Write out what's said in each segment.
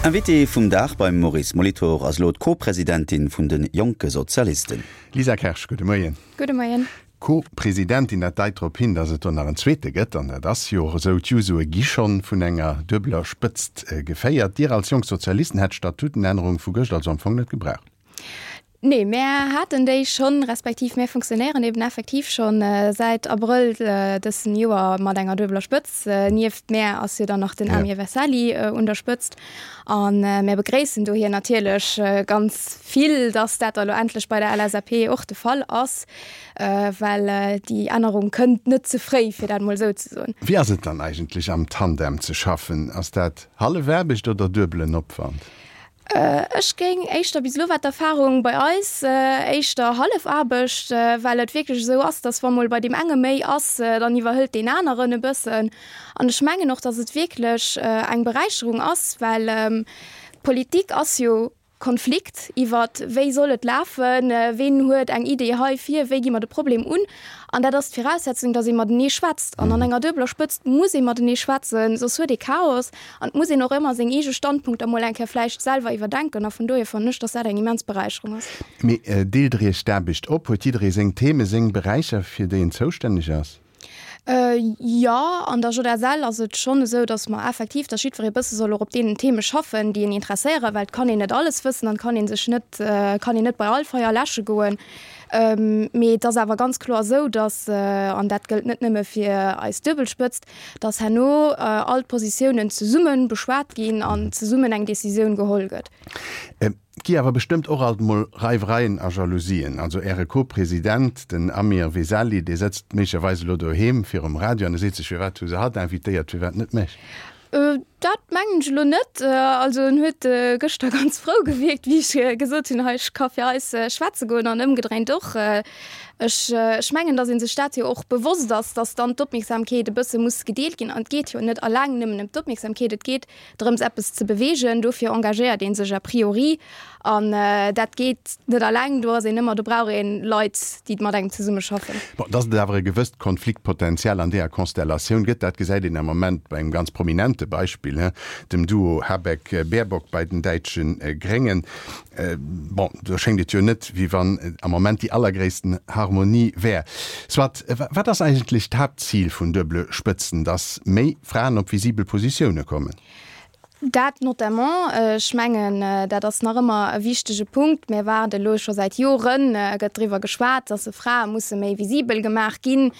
Invitée vum Dag beim Maurice Molitor ass elo d'Co-Presidentin vun de Jonke Sozialisten. Lisa Kersch, gudde Moien. Gudde Moien. Co-Presidentin, dat deit drop hin, datt et do nach en zweete gëtt, an dat ass jo och esou. D'Jusoe gi schonn vun enger duebeler Spëtzt geféiert. Dir als Jonk Sozialisten hätt d'Statutenännerung vu gëscht also am Fong net gebraucht? Nee, mär haten déi schonn, respektiv mär funktionéieren eben effektiv schonn säit Abrëll dësen Joer mat enger duebeler Spëtz. Nieft mär ass jo dann nach den Amir Vesali un der Spëtzt. A mär begréissen dohier natierlech ganz vill, dass dat da lo endlech bei der LSAP och de Fall ass, well déi Ännerung kënnt net ze fréi, fir dat mol esou ze soen. Wéi ass et dann eigentlech am Tandem ze schaffen? Ass dat hallef Aarbecht oder duebelen Opwand? Ech géing éischter, bis elo war d'Erfahrung bei eis éischter hallef Aarbecht, well et wierklech esou ass, dass wa mol bei deem enge méi ass, dann iwwerhëlt deen aneren e bëssen. An ech mengen och, dass et wierklech eng Beräicherung ass, well Politik ass jo Konflikt iwwer wéi soll et lafen, ween huet eng Idee heifir, wéi gi mer de Problem un. An dat ass d'Viraussetzung, dass ee matenee schwätzt. An an enger duebeler Spëtzt muss ee matenee schwätzen, soss huet ee Chaos. An et muss een och ëmmer seng eege Standpunkter mol eng Kéier vläicht selwer iwwerdenken. A vun dohier fannen ech, dass dat eng immens Beräicherung ass. Mee deelt Der Iech d'Aarbecht op? Huet jidderee seng Themen, seng Beräicher, fir déi en zoustänneg ass? Jo, an der JSL ass et schonn esou, dass mer effektiv, dass jiddweree bësse soll och op deenen Theme schaffen, déi en interesséieren, well et kann een net alles wëssen an et kann ee sech net, kann een net bei all Feier läsche goen. Mee et ass awer ganz kloer esou, dass, an dat gëllt net nëmme fir eis Duebelspëtzt, dass herno all d'Positiounen zesumme beschwat ginn an zesummen eng Décisioun geholl gëtt. Et gi awer bestëmmt och alt mol Reiwereien a Jalousien. Also Äre Co-President, den Amir Vesali, dee sëtzt méiglecherweis elo doheem virum Radio an e seet sech, Firwat hu se hatt invitéiert, firwat net mech? Dat mengen ech elo net. Also en huet gëschter ganz frou gewierkt, wéi ech gesot hunn, hei ech ka fir eis schwätze goen an ëmgedréint och. Ech, ech mengen, datt ee sech dat jo och bewosst ass, datt dann d'Opmierksamkeet e bësse muss gedeelt ginn. An et geet jo net alleng nëmmen ëm d'Opmierksamkeet, et geet drëms eppes ze beweegen. Dofir engagéiert ee sech a priori an dat geet net alleng. Do ass een ëmmer, do brauch ee Leit, déi mat engem zesumme schaffen. Bon, datt et awer e gewësst Konfliktpotenzial an deeër Konstellatioun gëtt, dat gesäit een am Moment bei engem ganz prominente Beispill, dem Duo Habeck-Baerbock bei den däitsche Gréngen. Bon, do schéngt et jo net, wéi wann am Moment déi allergréissten Harmonie wär. Soit, wat ass eigentlech d'Haaptzil vun duebele Spëtzen? Datt méi Fraen op visibel Positioune kommen? Dat notamment. Ech mengen, dat ass nach ëmmer e wichtege Punkt. Mir waarde elo scho säit Joren, gëtt driwwer geschwat, datt Frae musse méi visibel gemaach ginn.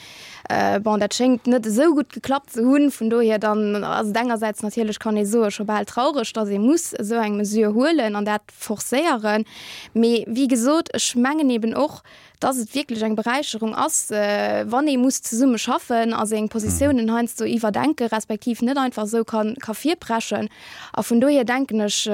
Bon, dat schéngt net esou gutt geklappt ze hunn. Vun dohier dann ass et engersäits natierlech, kann ee soen, scho bal traureg, datt ee muss esou eng Mesure huelen an dat forcéieren. Mee wéi gesot, ech mengen eben och, datt et wierklech eng Beräicherung ass, wann ee muss zesumme schaffen a seng Positiounen heiansdo iwwerdenke respektiv net einfach esou ka ka virpreschen. A vun dohier denken ech,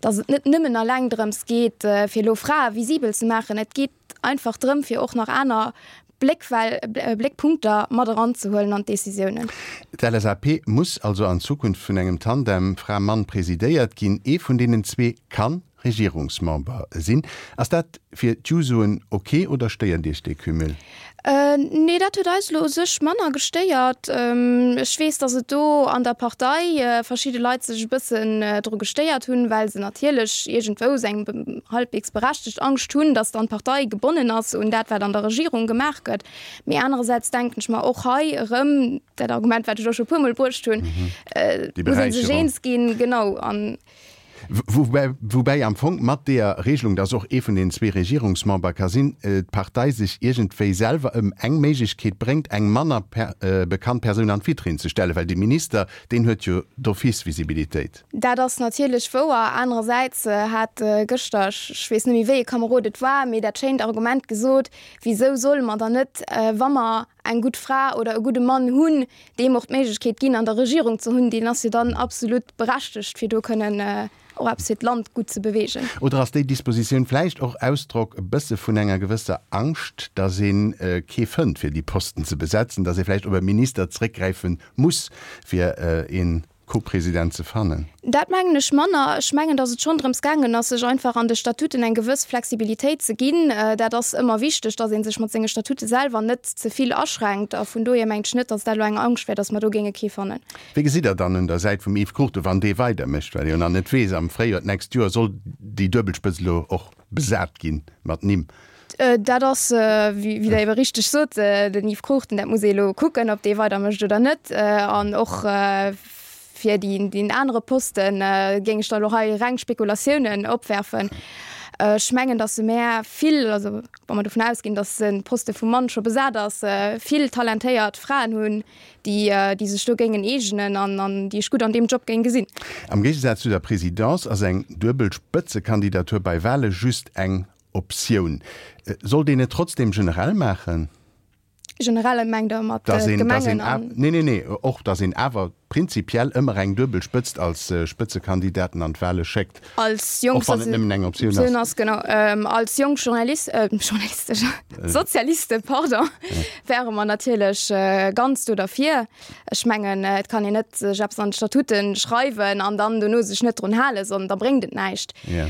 datt et net nëmmen alleng drëms geet, fir elo Frae visibel ze maachen. Et geet einfach drëm, fir och nach aner Bléckwell, Bléckpunkter mat eranzehuelen an d'Décisiounen. D'LSAP muss also an Zukunft vun engem Tandem Fra-Mann presidéiert ginn. Ee vun deenen zwee kann Regierungsmember sinn. Ass dat fir d'Jusoen ok oder stéiert Iech dee Cumul? Nee, dat huet eis elo u sech manner gestéiert. Ech weess, datt et do an der Partei verschidde Leit sech e bëssen dru gestéiert hunn, well se natierlech iergendwou eng halbwegs berechtegt Angscht hunn, datt dann d'Partei gebonnen ass un dat, wat an der Regierung gemaach gëtt. Mee anerersäits denken ech mer och hei erëm dat Argument, wat ech och scho e puermol bruecht hunn, muss ee sech eens ginn, genau. An Woubäi am Fong mat deeër Regelung, dass och ee vun den zwee Regierungsmember ka sinn, d'Partei sech iergendwéi selwer ëm eng Méiglechkeet bréngt, eng manner bekannt Persoun an d'Vitrinn ze stellen, well de Minister, deen huet jo d'office Visibilitéit. Dat ass natierlech wouer. Anerersäits hat gëschter, ech weess net méi wéi ee Kamerod et war, mee dat schéint Argument gesot, Wisou solle mer dann net, wa mer eng gutt Fra oder e gudde Mann hunn, deem och d'Méiglechkeet ginn, an der Regierung ze hunn, deen ass jo dann absolut berechtegt, fir do kënnen och eppes fir d'Land gutt ze beweegen. Oder ass déi Dispositioun vläicht och Ausdrock e bësse vun enger gewësser Angscht, datt ee kee fënnt, fir déi Posten ze besetzen, datt ee vläicht op e Minister zréckgräife muss, fir ee. Co-President ze fannen? Dat mengen ech manner. Ech mengen, datt et schonn drëms gaangen ass, sech einfach an de Statuten eng gewëss Flexibilitéit ze ginn. Dat ass ëmmer wichteg, datt ee sech mat senge Statute selwer net ze vill aschränkt. A vun dohier mengt ech net, datt dat elo eng Angscht wär, datt mer do géinge kee fannen. Wéi gesitt Der dann un der Säit vum Yves Cruchten, wann dee weidermécht, well e jo nach net weess, am Fréijoer d'nächst Joer soll déi Duebelspëtzt elo och besat ginn mat Nimm? Dat ass, wéi Der ebe richteg sot, den Yves Cruchten, dat muss ee elo kucken, ob dee weidermécht oder net. An och fir deen anere Posten géing ech da elo hei reng Spekulatiounen opwerfen. Ech mengen, datt se mär vill, also wa mer dovun ausginn, datt de Poste vum Mann scho besat ass, vill talentéiert Fraen hunn, déi sech do géingen eegenen an déi ech gutt an deem Job géing gesinn. Am Géigesaz zu der Présidence ass eng duebel Spëtzekandidatur bei Wale just eng Optioun. Sollt een et trotzdem generell maachen? Generell mengt Der mat Gemengen an? Nee, nee, nee, och datt een awer prinzipiell ëmmer eng duebel Spëtzt als Spëtzekandidaten an d'Wale schéckt. Als jonk, och wann et nëmmen eng Optioun ass. Genau, als jonk Journalist, Journalistesch, Sozialiste, pardon, wäre mer natierlech ganz do derfir. Ech mengen, et kann een net sech eppes an d'Statuten schreiwen an dann dono sech net drun halen, sondern da bréngt et näischt. Ja.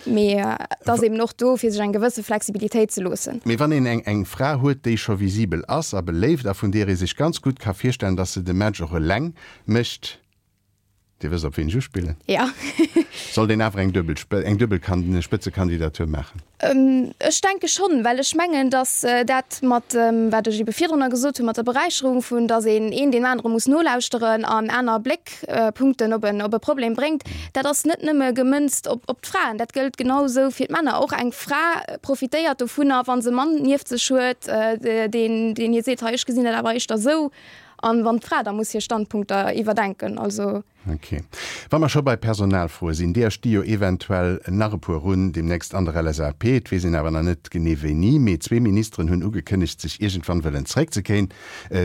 Mee et ass eben och do, fir sech eng gewësse Flexibilitéit ze loossen. Mee wann een eng eng Fra huet, déi scho visibel ass a beléift a vun deer ee sech ganz gutt ka virstellen, dass se de Match och eleng mécht, Dir wësst op ween ech uspillen. Ja. Sollt een awer eng duebel eng duebel Spëtzekandidatur maachen? Ech denke schonn, well ech mengen, datt dat mat, wat ech ebe virdrunner gesot hunn, mat der Beräicherung vun, datt een een deem anere muss nolauschteren an aner Bléckpunkten op en op e Problem bréngt, dat ass net nëmme gemënzt op op d'Fraen, dat gëllt genau esou fir d'Männer. Och eng Fra profitéiert dovunner, wa se e Mann nieft sech huet, deen deen hir seet, hei ech gesinn dat awer éischter esou. An wann d'Fra da muss hir Standpunkter iwwerdenken, also. Ok. Wa mer scho bei Personalfroe sinn, deeër sti jo eventuell nach e puer un deemnächst an der LSAP. Et weess een awer nach net genee wéini, mee zwee Ministeren hunn ugekënnegt, sech iergendwann wëllen zeréckzekéin,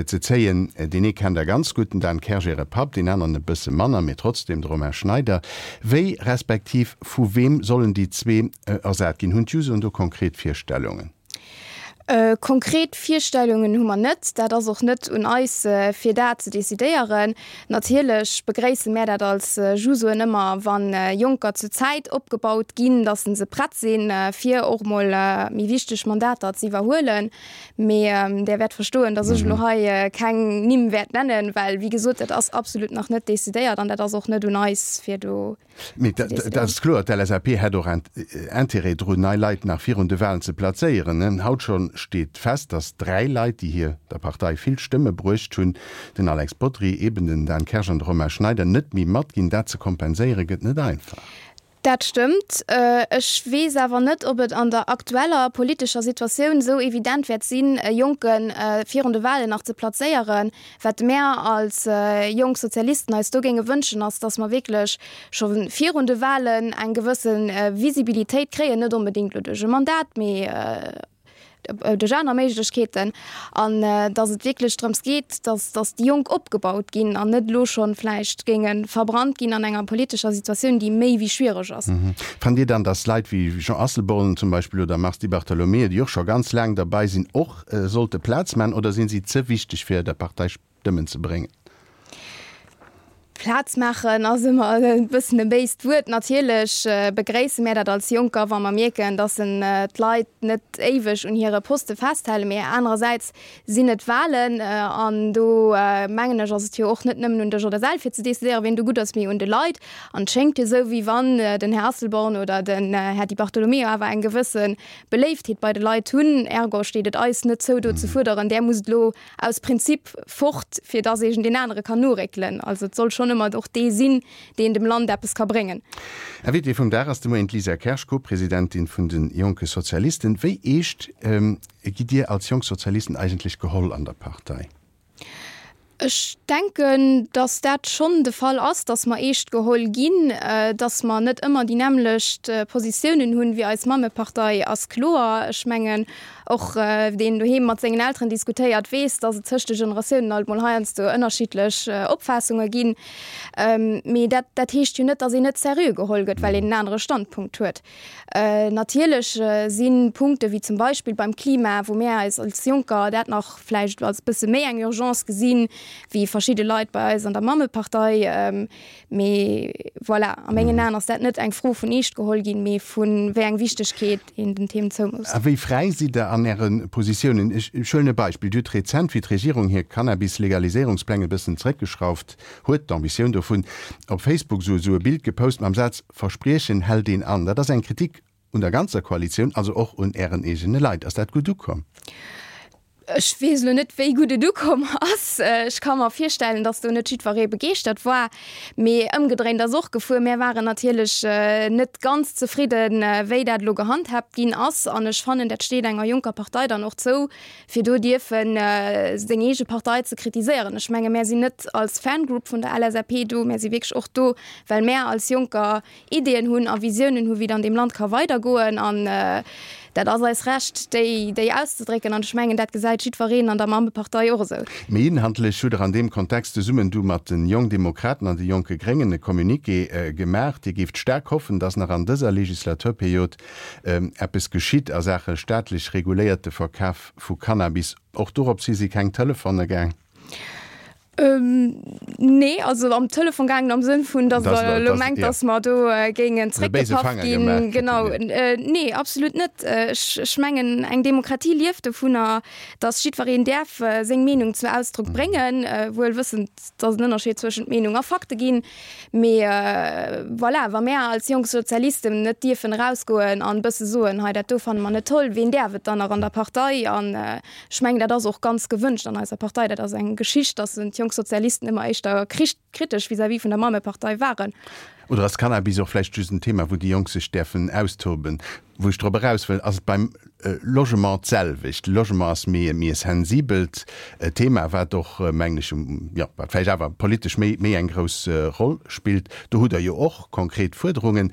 ze zéien. Deen ee kennt Der ganz gutt, den Dan Kersch, Äre Papp, deen aneren e bësse manner, mee trotzdem, de Romain Schneider. Wéi respektiv vu weem sollen déi zwee ersat ginn? Hunn d'Jusoen do konkret Virstellungen? Konkret Virstellungen hu mer net. Dat ass och net un eis, fir dat ze decidéieren. Natierlech begréisse mär dat als Jusoen ëmmer, wa Jonker zur Zäit opgebaut ginn, datt se prett sinn, fir och mol méi wichteg Mandater ze iwwerhuelen. Mee Där wäert verstoen, datt ech elo hei keng Nimm wäert nennen, well, wéi gesot, dat ass absolut nach net decidéiert an dat ass och net un eis, fir do Mee dat ass kloer, d'LSAP hätt och Intérêt drun, nei Leit nach virun de Walen ze plazéieren. Haut scho steet fest, datt 3 Leit, déi hir der Partei vill Stëmme bruecht hunn, den Alex Bodry, eben den Dan Kersch an de Romain Schneider, net méi matginn. Dat ze kompenséiere gëtt net einfach. Dat stëmmt. Ech weess awer net, ob et an der aktueller politescher Situatioun esou evident wäert sinn, e Jonke virun de Walen nach ze plazéieren. Wat mär als jonk Sozialisten eis do géinge wënschen, ass, dass mer wierklech scho virun de Wahlen eng gewësse Visibilitéit kréien, net onbedéngt elo duerch e Mandat, mee duerch aner Méiglechkeeten, an dass et wierklech drëms geet, dass, dass déi Jonk opgebaut ginn an net elo scho vläicht géinge verbrannt ginn an enger politescher Situatioun, déi méi wéi schwiereg ass. Fannt Dir dann, dass Leit wéi Jean Asselborn zum Beispill oder Mars Di Bartolomeo, déi och scho ganz laang derbei sinn, och sollte Plaz man oder sinn si ze wichteg fir der Partei Stëmmen ze bréngen? Plaz maachen ass ëmmer e bëssen e béist Wuert. Natierlech begréisse mär dat als Jonker, wa mer mierken, datt en d'Leit net éiweg un hire Poste festhalen. Mee anerersäits sinn et Wahlen an do mengen ech, ass et jo och net nëmmen un der JSL fir ze decidéieren, wien do gutt ass, mee un de Leit. An et schéngt jo esou, wéi wann den Här Asselborn oder den Här Di Bartolomeo awer eng gewësse Beléiftheet bei de Leit hunn. Ergo steet et eis net zou, do ze fuerderen, där musst elo aus Prinzip fort, fir dass eegen deen anere kann noréckelen. Also et soll schonn ëmmer och dee sinn, deen dem Land eppes ka bréngen. Invitée vum Dag ass de Moien d'Lisa Kersch, Co-Presidentin vun de Jonke Sozialisten. Wéi eescht gitt Dir als Jonk Sozialisten eigentlech geholl an der Partei? Ech denken, datt dat schonn de Fall ass, datt mer eescht geholl ginn. Datt mer net ëmmer déi nämmlecht Positiounen hunn wéi eis Mammepartei ass kloer. Ech mengen. Och deen doheem mat sengen Elteren diskutéiert, weess, dass et tëscht de Generatiounen alt mol heiansdo ënnerschiddlech Opfaassunge ginn. Mee dat, dat heescht jo net, dass een net seriö geholl gëtt, well een en anere Standpunkt huet. Natierlech si Punkte wéi zum Beispill beim Klima, wou mär eis als Jonker dat nach vläicht als bësse méi eng Urgence gesinn, wéi verschidde Leit bei eis an der Mammepartei, Mee voilà, a mengen Aen ass dat net eng Fro vun eescht geholl ginn, mee vu wéi eng Wichtegkeet een den Themen zoumousst. A wéi fräi sidd Der an Äre Positiounen? Ech huelen e Beispill, Dir hutt rezent, wéi d'Regierung hir Cannabis-Legaliséierungspläng e bëssen zeréckgeschrauft huet, d'Ambitioun dovun, op Facebook esou e Bild gepost mam Saz, Verspriechen hält een an. Dat ass eng Kritik Un der ganzer Koalitioun, also och un Ären eegene Leit. Ass dat gutt ukomm? Ech weess elo net, wéi gutt et ukomm ass. Ech ka mer virstellen, datt do net jiddweree begeeschtert war. Mee ëmgedréint ass och gefuer. Mär waren natierlech net ganz zefridden, wéi dat elo gehandhaabt ginn ass. An ech fannen, dat steet enger jonker Partei dann och zou, fir do dierfe seng eege Partei ze kritiséieren. Ech menge mär sinn net als Fangroup vun der LSAP do, mär si wierklech och do, well mär als Jonker Ideeën hunn a Visiounen hu wéi et an deem Land ka weidergoen an dat ass eis Recht déi déi auszedrécken an ech mengen dat gesäit jiddwereen an der Mammepartei och esou. Méi inhaltlech hutt Der an deem Kontext zesummen du mat den Jongdemokraten an de Jonke Gréngen e Communiqué gemaach. Dir géift staark hoffen, datt nach an dëser Legislaturperiod eppes geschitt a Saache staatlech reguléierte Verkaf vu Cannabis. Och dorops hi si keng Telefone gaang. Nee, also am Telefon gaangen am Sënn vun, datt Der elo mengt, datt mer do géingen zréckgepaff ginn. Genau. Nee, absolut net. Ech mengen, eng Demokratie lieft dovunner, datt jiddwereen däerf seng Meenung zu Ausdrock bréngen, wuel wëssend, datt et en Ënnerscheed zwëschent Meenung a Fakte ginn. Mee voilà, wa mär als jonk Sozialisten net dierfen erausgoen an e bësse soen, hei dat do fanne mer net toll, ween däerf et dann nach an der Partei? An Ech mengen, dat ass och ganz gewënscht an eiser Partei. Dat ass eng Geschicht, dass d'Jonk Sozialisten ëmmer éischter kritesch vis-à-vis vun der Mammepartei waren. Oder ass Cannabis och vläicht just en Thema, wou déi Jonk sech däerfen austoben? Wou ech drop eraus wëll, ass et beim Logement d'selwecht. Logement ass méi e sensibelt Thema, wat och, mengen ech, jo, wat vläicht awer politesch méi méi eng grouss Roll spillt. Do hutt Der jo och konkret Fuerderungen.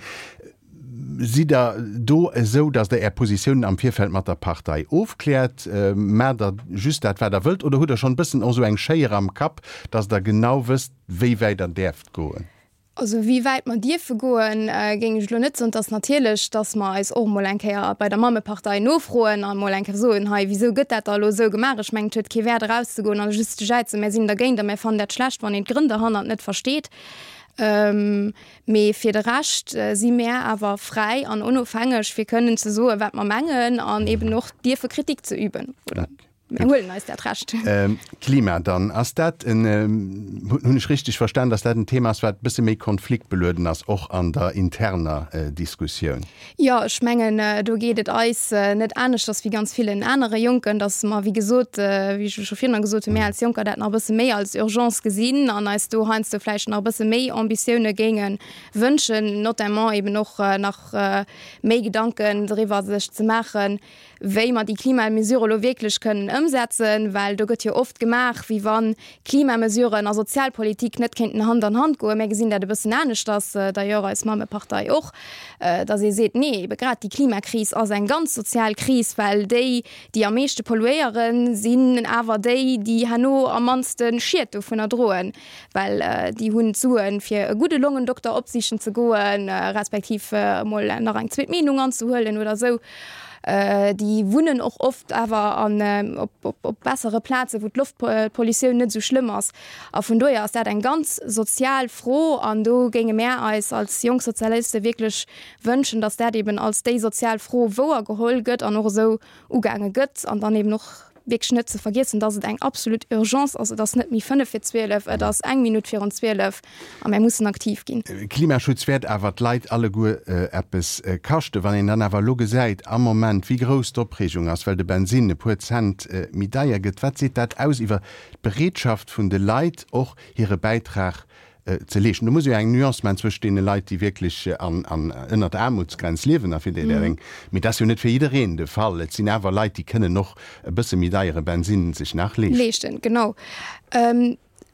Sidd Der do esou, datt Der Är Positiounen am Virfeld mat der Partei ofkläert? Maacht Der just dat, wat Der wëllt, oder hutt Der schonn e bëssen och esou eng Schéier am Kapp, datt Der genau wësst, wéi wäit Der däerft goen? Also wéi wäit mer dierfe goen, géing ech elo net soen. Et ass natierlech, datt mer eis och emol eng Kéier bei der Mammepartei nofroen a mol eng Kéier soen, hei, wisou gëtt dat da elo esou gemaach? Ech mengen, et huet kee Wäert erauszegoen a just ze jäizen, mär sinn dergéint a mär fannen dat schlecht, wann een d'Grënn derhannert net versteet. Mee fir de Rescht si mär awer fräi an onofhängeg, fir kënnen ze soen, wat mer mengen an eben och dierfe Kritik ze üben. Oder mär huelen eis dat Recht. Klima dann, ass dat en, hunn ech richteg verstan, datt dat en Thema ass, wat e bësse méi konfliktbelueden ass, och an der interner Diskussioun? Jo, ech mengen, do geet et eis net aneschters wéi ganz villen anere Jonken, datt mer, wéi gesot, wéi ech scho virun gesot hunn, mir als Jonker dat nach e bësse méi als Urgence gesinn an eis do heiansdo vläicht nach e bësse méi Ambitioune géinge wënschen, notamment eben och nach méi Gedanken driwwer sech ze maachen, wéi mer déi Klimamesure elo wierklech kënnen ëmsetzen, well do gëtt jo oft gemaach, wéi wa Klimamesuren a Sozialpolitik net kéinten Hand an Hand goen. Mir gesinn dat e bëssen aneschters, d'ailleurs eis Mammepartei och, datt ee seet, nee, ebe grad déi Klimakris ass eng ganz sozial Kris, well déi, déi am meeschte polluéieren, sinn awer déi, déi herno am mannste Schied dovunner droen. Well déi hunn d'Suen, fir e gudde Longendokter opsichen ze goen, respektiv emol nach eng zweet Meenung anzehuelen oder esou. Déi wunnen och oft awer an op bessere Plazen, wou d'Loftpollutioun net esou schlëmm ass. A vun dohier ass dat eng ganz sozial Fro. An do géinge mär eis als jonk Sozialiste wierklech wënschen, datt dat eben als déi sozial Fro wouergeholl gëtt an och esou ugaange gëtt an dann eben och wierklech net ze vergiessen, dass et eng absolut Urgence ass. Et ass net méi fënnef vir 12, et ass eng Minutt virun 12 a mär mussen aktiv ginn. Klimaschutz wäert awer d'Leit alleguer eppes kaschten. Wann een dann awer elo gesäit am Moment, wéi grouss d'Opreegung ass, well de Bensinn e puer Cent méi deier gëtt, wat seet dat aus iwwer d'Bereetschaft vun de Leit, och hire Bäitrag ze leeschten. Do muss ee jo eng Nuance maachen zwëscht deene Leit, déi wierklech an, an ënnert der Aarmutsgrenz liewen a fir déi der eng. Mee dat ass jo net fir jiddereen de Fall. Et sinn awer Leit, déi kënnen och e bësse méi deiere Bensinn sech nach leeschten. Leeschten, genau.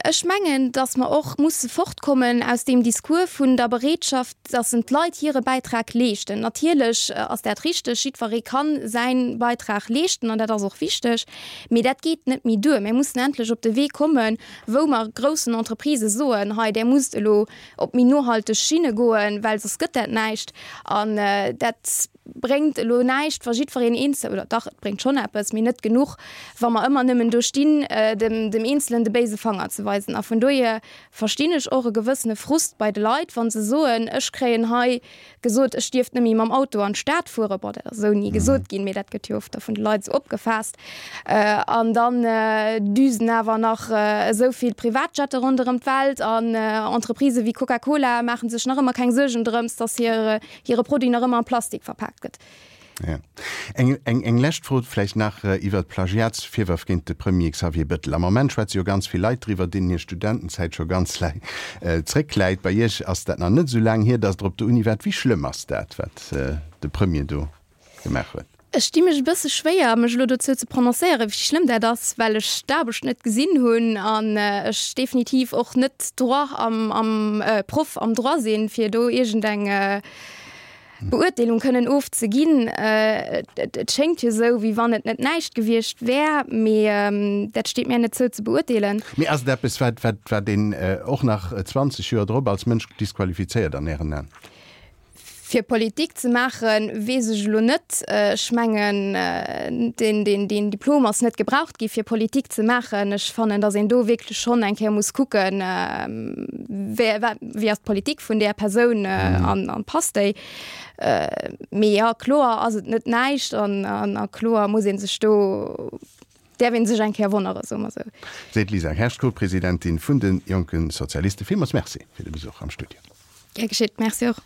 Ech mengen, datt mer och musse fortkommen aus deem Discours vun der Bereetschaft, datt en d'Leit hire Bäitrag leeschten. Natierlech ass dat richteg, jiddweree ka säi Beitrag leeschten an dat ass och wichteg, mee dat geet net méi duer. Mir mussen endlech op de Wee kommen, wou mer groussen Entreprisë soen, hei där musst elo op méi nohalteg Schinne goen, well soss gëtt dat näischt. An dat bréngt elo näischt, wa jiddwereen eenzel, oder dach, et bréngt schonn eppes, mee net genuch, wa mer ëmmer nëmmen do stinn, dem, dem Eenzelen de béise Fanger ze weisen. A vun dohier verstinn ech och e gewëssene Frust bei de Leit, wa se soen, ech kréien hei gesot, ech dierft net méi mam Auto an d'Stad fueren. Bon, dat ass esou ni gesot ginn, mee dat gëtt jo oft da vun de Leit esou opgefaasst. An dann düsen awer nach esou vill Privatjette ronderëm d'Welt an Entreprisë wéi Coca-Cola maache sech nach ëmmer keng Suergen drëms, dass hir hire Produit nach ëmmer am Plastik verpaakt gëtt. Ja. Eng, eng, eng lescht Fro vläicht nach iwwert d'Plagiatsvirwërf géint de Premier Xavier Bettel. Am Moment schwätze jo ganz vill Leit driwwer, deenen hir Studentenzäit scho ganz laang zréckläit. Bei Iech ass dat nach net esou laang hier, datt Der op der Uni waart. Wéi schlëmm ass dat, wat de Premier do gemaach huet? Ech di mech e bësse schwéier, mech elo dozou ze prononcéieren, wéi schlëmm dat ass, well ech d'Aarbecht net gesinn hunn an ech definitiv och net Droit am, am, Proff am Droit sinn, fir do iergendeng Beurteelung kënnen ofzeginn. Et schéngt jo esou, wéi wann et net näischt gewiescht wär, mee dat steet mär net zou ze beurteelen. Mee ass et eppes, wat, wat, wat een och nach 20 Joer drop als Mënsch disqualifizéiert an Ären Aen? Fir Politik ze maachen, weess ech elo net. Ech mengen, deen Diplom ass net gebraucht gi fir Politik ze maachen. Ech fannen, datt een do wierklech schonn eng Kéier muss kucken, wéi ass d'Politik vun där Persoun an passt déi. Mee jo, kloer ass et net näischt an kloer muss ee sech do, däerf ee sech eng Kéier wonnere, soe mer esou. Seet d'Lisa Kersch, Co-Presidentin vun de Jonke Sozialisten. Villmools Merci fir de Besuch am Studio. Gär geschitt, Merci och.